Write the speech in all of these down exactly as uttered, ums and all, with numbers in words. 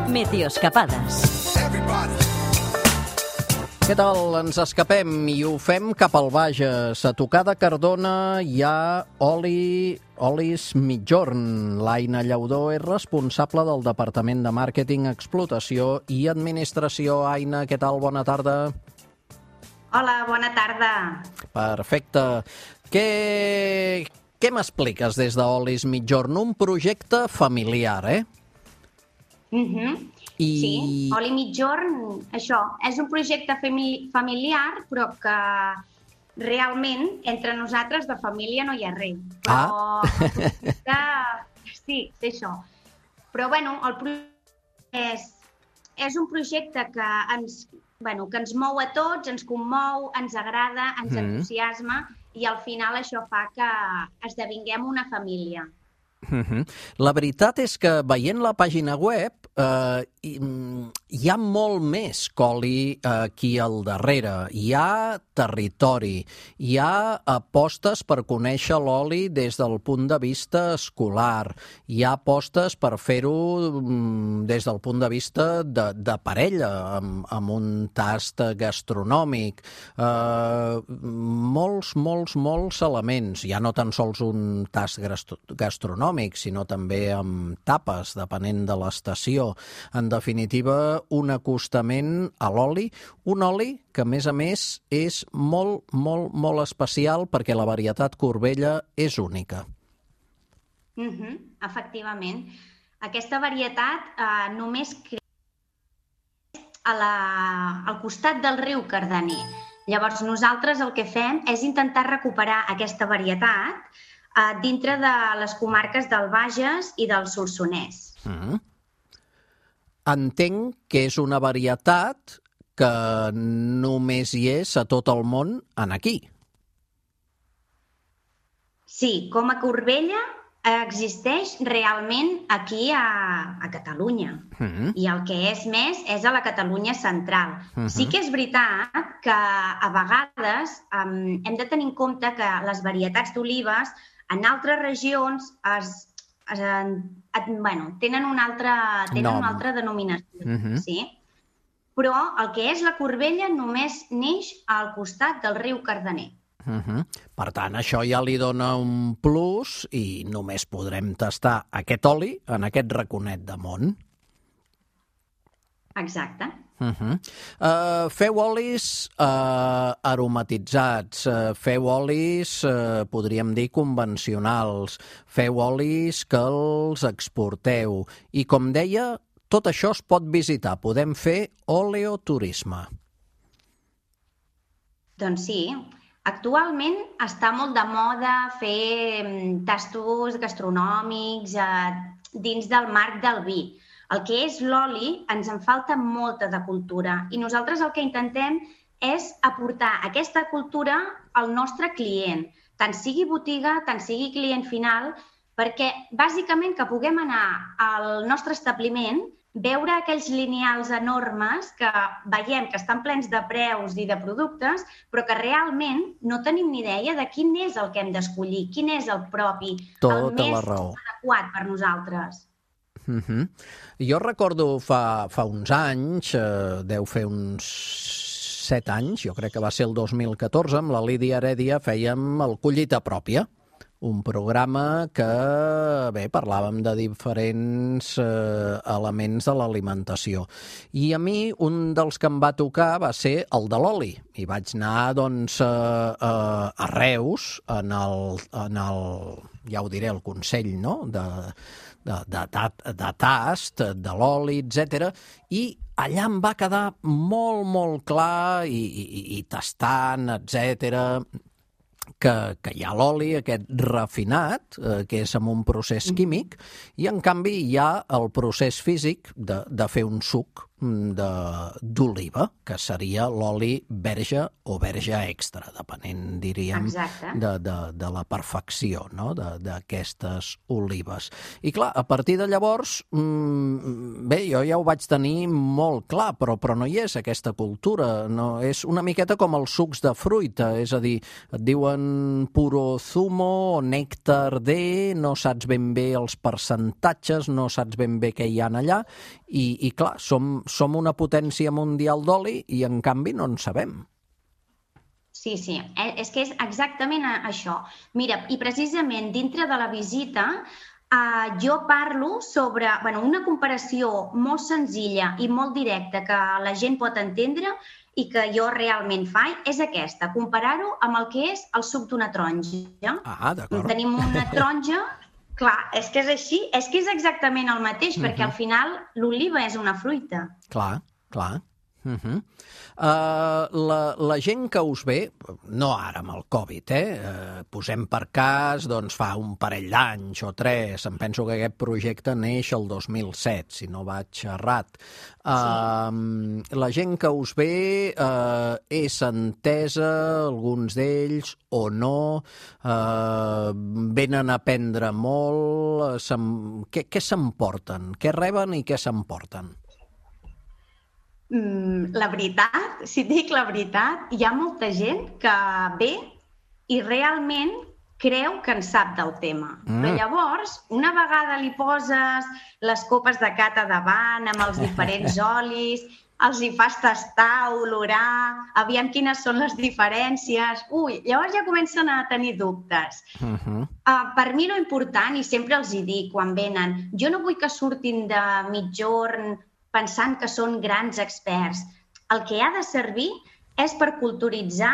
Meteoscapades. Què tal? Ens escapem i ho fem cap al Bages. A tocar de Cardona hi ha Oli, Olis Mitjorn. L'Aina Llaudó és responsable del Departament de Màrqueting, Explotació i Administració. Aina, què tal? Bona tarda. Hola, bona tarda. Perfecte. Què, què m'expliques des d'Olis Mitjorn? Un projecte familiar, eh? Uh-huh. I... Sí, Oli Mitjorn, això, és un projecte familiar, però que realment entre nosaltres de família no hi ha res. Però ah. el projecte, sí, és això. Però bueno, el projecte és, és un projecte que ens, bueno, que ens mou a tots, ens commou, ens agrada, ens mm. entusiasma i al final això fa que esdevinguem una família. Uh-huh. La veritat és que veient la pàgina web eh, hi, hi ha molt més Oli aquí al darrere. Hi ha territori, hi ha apostes per conèixer l'oli des del punt de vista escolar, hi ha apostes per fer-ho des del punt de vista de, de parella, amb, amb un tast gastronòmic. Eh, molts, molts, molts elements. Ja no tan sols un tast gastronòmic, sinó també amb tapes, depenent de l'estació. En definitiva, un acostament a l'oli, un oli que, a més a més, és molt, molt, molt especial perquè la varietat Corbella és única. Uh-huh, efectivament. Aquesta varietat eh, només creix a la, al costat del riu Cardener. Llavors, nosaltres el que fem és intentar recuperar aquesta varietat eh, dintre de les comarques del Bages i del Solsonès. Mm. Entenc que és una varietat que només hi és a tot el món en aquí. Sí, com a Corbella existeix realment aquí a, a Catalunya. Mm-hmm. I el que és més és a la Catalunya central. Mm-hmm. Sí que és veritat que a vegades um, hem de tenir en compte que les varietats d'olives en altres regions es, es, es, bueno, tenen una altra, tenen una altra denominació. Mm-hmm. Sí? Però el que és la Corbella només neix al costat del riu Cardener. Uh-huh. Per tant, això ja li dona un plus i només podrem tastar aquest oli en aquest raconet de món. Exacte. Uh-huh. Uh, feu olis uh, aromatitzats, uh, feu olis, uh, podríem dir, convencionals, feu olis que els exporteu i, com deia, tot això es pot visitar, podem fer oleoturisme. Doncs sí. Actualment està molt de moda fer tastos gastronòmics eh, dins del marc del vi. El que és l'oli ens en falta molta de cultura i nosaltres el que intentem és aportar aquesta cultura al nostre client, tant sigui botiga, tant sigui client final, perquè bàsicament que puguem anar al nostre establiment, veure aquells lineals enormes que veiem que estan plens de preus i de productes, però que realment no tenim ni idea de quin és el que hem d'escollir, quin és el propi, tota el més raó. adequat per nosaltres. Uh-huh. Jo recordo fa, fa uns anys, eh, deu fer uns set anys, jo crec que va ser el dos mil catorze, amb la Lídia Heredia fèiem el Collita Pròpia, un programa que, bé, parlàvem de diferents eh, elements de l'alimentació. I a mi un dels que em va tocar va ser el de l'oli. I vaig anar, doncs, a, a, a Reus, en el, en el, ja ho diré, el Consell, no?, de, de, de, de, de tast, de l'oli, etcètera. I allà em va quedar molt, molt clar, i, i, i tastant, etcètera, Que, que hi ha l'oli, aquest refinat, eh, que és amb un procés químic, i en canvi hi ha el procés físic de, de fer un suc d'oliva, que seria l'oli verge o verge extra, depenent, diríem, de, de, de la perfecció, no?, d'aquestes olives. I clar, a partir de llavors, bé, jo ja ho vaig tenir molt clar, però, però no hi és aquesta cultura. No? És una miqueta com els sucs de fruita, és a dir, et diuen puro zumo o nèctar de, no saps ben bé els percentatges, no saps ben bé què hi ha allà, i, i clar, som som una potència mundial d'oli i, en canvi, no en sabem. Sí, sí, és que és exactament això. Mira, i precisament dintre de la visita eh, jo parlo sobre bueno, una comparació molt senzilla i molt directa que la gent pot entendre i que jo realment faig és aquesta, comparar-ho amb el que és el suc d'una taronja. Ah, d'acord. Tenim una taronja. Clar, és que és així, és que és exactament el mateix, uh-huh. perquè al final l'oliva és una fruita. Clar, clar. Uh-huh. uh, la, la gent que us ve, no ara amb el Covid, eh? Uh, posem per cas, doncs fa un parell d'anys o tres, em penso que aquest projecte neix el dos mil set, si no vaig errat. Uh, sí. La gent que us ve uh, és entesa, alguns d'ells, o no, uh, venen a aprendre molt, què, què s'emporten? Què reben i què s'emporten? Mm, la veritat, si dic la veritat, hi ha molta gent que ve i realment creu que en sap del tema. Mm. Però llavors, una vegada li poses les copes de cata davant amb els diferents olis, els hi fas tastar, olorar, aviam quines són les diferències... Ui, llavors ja comencen a tenir dubtes. Uh-huh. Uh, per mi lo important, i sempre els hi dic quan venen, jo no vull que surtin de mitjorn pensant que són grans experts. El que ha de servir és per culturitzar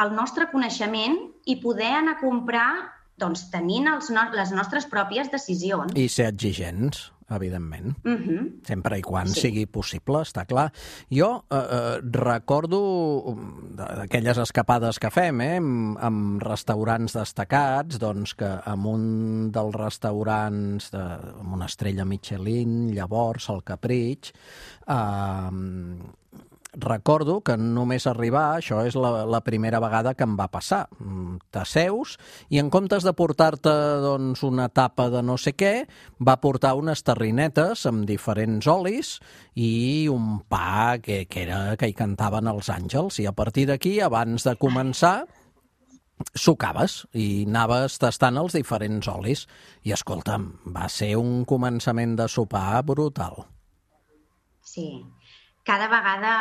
el nostre coneixement i poder anar a comprar doncs, tenint els no les nostres pròpies decisions. I ser exigents, evidentment. Uh-huh. Sempre i quan sí. sigui possible, està clar. Jo eh, eh, recordo d'aquelles escapades que fem, eh, amb, amb restaurants destacats, doncs que en un dels restaurants de, amb una estrella Michelin, llavors, el Capritx, eh, recordo que només arribar, això és la, la primera vegada que em va passar. T'asseus i en comptes de portar-te doncs, una tapa de no sé què, va portar unes terrinetes amb diferents olis i un pa que, que era que hi cantaven els àngels. I a partir d'aquí, abans de començar, sucaves i anaves tastant els diferents olis. I, escolta'm, va ser un començament de sopar brutal. Sí. Cada vegada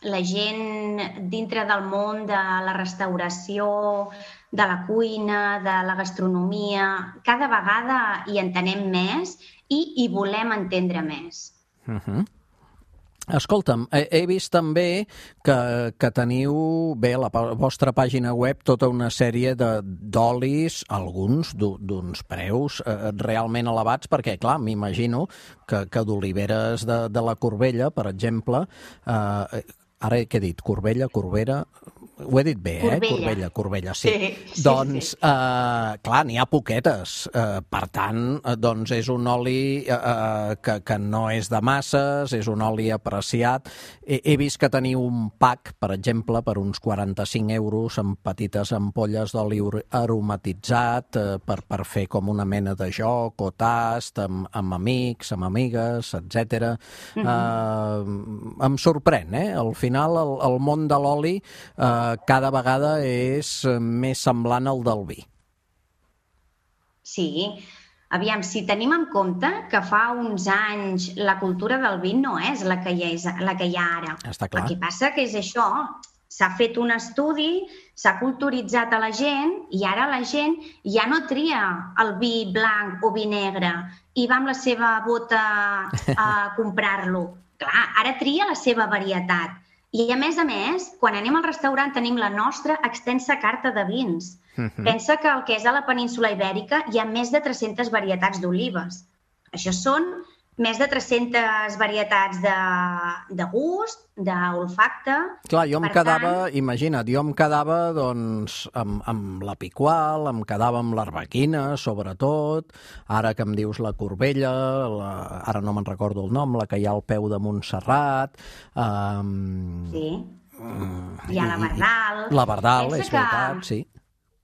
la gent dintre del món de la restauració, de la cuina, de la gastronomia, cada vegada hi entenem més i hi volem entendre més. Uh-huh. Escolta'm, he, he vist també que, que teniu, bé, a la vostra pàgina web, tota una sèrie d'olis, alguns d'uns preus eh, realment elevats, perquè, clar, m'imagino que, que d'oliveres de, de la Corbella, per exemple, eh, ara què he dit? Corbella, Corbera... Ho he dit bé, eh? Corbella. Corbella, Corbella, sí. sí, sí doncs, sí. Eh, clar, n'hi ha poquetes. Eh, per tant, eh, doncs és un oli eh, que, que no és de masses, és un oli apreciat. He, he vist que teniu un pack, per exemple, per uns quaranta-cinc euros, amb petites ampolles d'oli aromatitzat, eh, per, per fer com una mena de joc o tast, amb, amb amics, amb amigues, etcètera. Mm-hmm. eh, em sorprèn, eh? Al final, el, el món de l'oli eh, cada vegada és més semblant al del vi. Sí. Aviam, si tenim en compte que fa uns anys la cultura del vi no és la que hi, és, la que hi ha ara. Està clar. El que passa que és això, s'ha fet un estudi, s'ha culturitzat a la gent i ara la gent ja no tria el vi blanc o vi negre i va amb la seva bota a comprar-lo. Clar, ara tria la seva varietat. I, a més a més, quan anem al restaurant tenim la nostra extensa carta de vins. Uh-huh. Pensa que el que és a la península Ibèrica hi ha més de tres-centes varietats d'olives. Això són més de tres-centes varietats de, de gust, d'olfacte. Clar, jo em Per quedava, tant, imagina't, jo em quedava doncs, amb, amb la picual, em quedava amb l'arbequina, sobretot, ara que em dius la corbella, la, ara no me'n recordo el nom, la que hi ha al peu de Montserrat... Um, sí, hi ha la Bardal. La Bardal, Pensa és que- veritat, sí.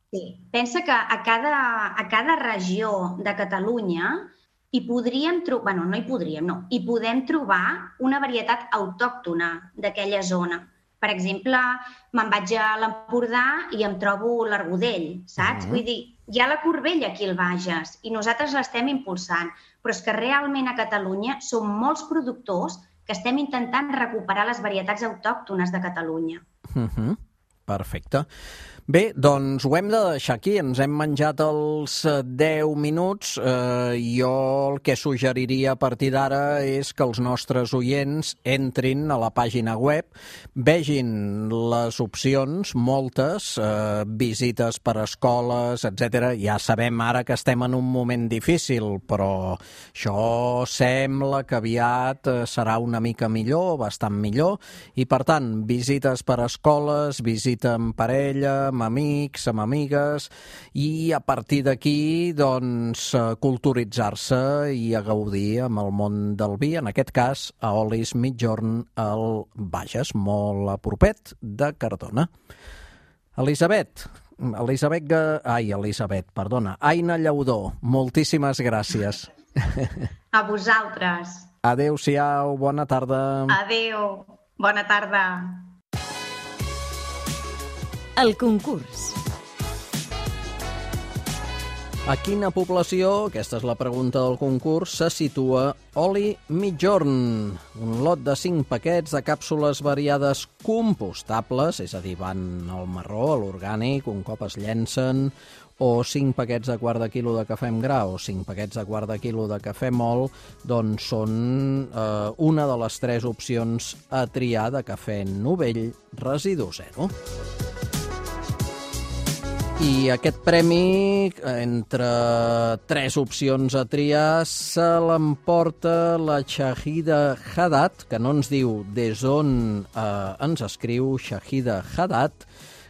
Sí, pensa que a cada, a cada regió de Catalunya hi podríem trobar, bueno, no hi podríem, no, hi podem trobar una varietat autòctona d'aquella zona. Per exemple, me'n vaig a l'Empordà i em trobo l'argodell, saps? Mhm. Vull dir, hi ha la corbella aquí al Bages i nosaltres l'estem impulsant, però és que realment a Catalunya som molts productors que estem intentant recuperar les varietats autòctones de Catalunya. Mhm. Perfecte. Bé, doncs ho hem de deixar aquí. Ens hem menjat els eh, deu minuts. Eh, jo el que suggeriria a partir d'ara és que els nostres oients entrin a la pàgina web, vegin les opcions, moltes, eh, visites per escoles, etcètera. Ja sabem ara que estem en un moment difícil, però això sembla que aviat eh, serà una mica millor, bastant millor, i per tant, visites per escoles, visita amb parella, amb amics, amb amigues, i a partir d'aquí, doncs, eh, culturitzar-se i a gaudir amb el món del vi, en aquest cas, a Olis Migjorn, al Bages, molt a propet de Cardona. Elisabet, Elisabet, Ga- ai, Elisabet, perdona, Aina Llaudó, moltíssimes gràcies. A vosaltres. Adéu-siau, bona tarda. Adéu. Bona tarda. El concurs. A quina població, aquesta és la pregunta del concurs, se situa Oli Migjorn? Un lot de cinc paquets de càpsules variades compostables, és a dir, van al marró, a l'orgànic, un cop es llencen, o cinc paquets de quart de quilo de cafè amb gra o cinc paquets de quart de quilo de cafè mol, doncs són eh, una de les tres opcions a triar de cafè novell residu zero. I aquest premi, entre tres opcions a triar, se l'emporta la Shahida Haddad, que no ens diu des on eh, ens escriu Shahida Haddad,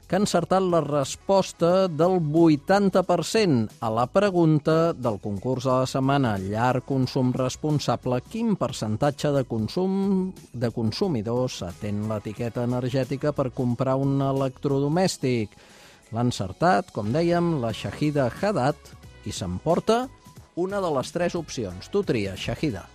que ha encertat la resposta del vuitanta per cent a la pregunta del concurs de la setmana Llar Consum Responsable: quin percentatge de consum de consumidors atén l'etiqueta energètica per comprar un electrodomèstic? L'ha encertat, com dèiem, la Shahida Haddad, i s'emporta una de les tres opcions. Tu tries, Shahida.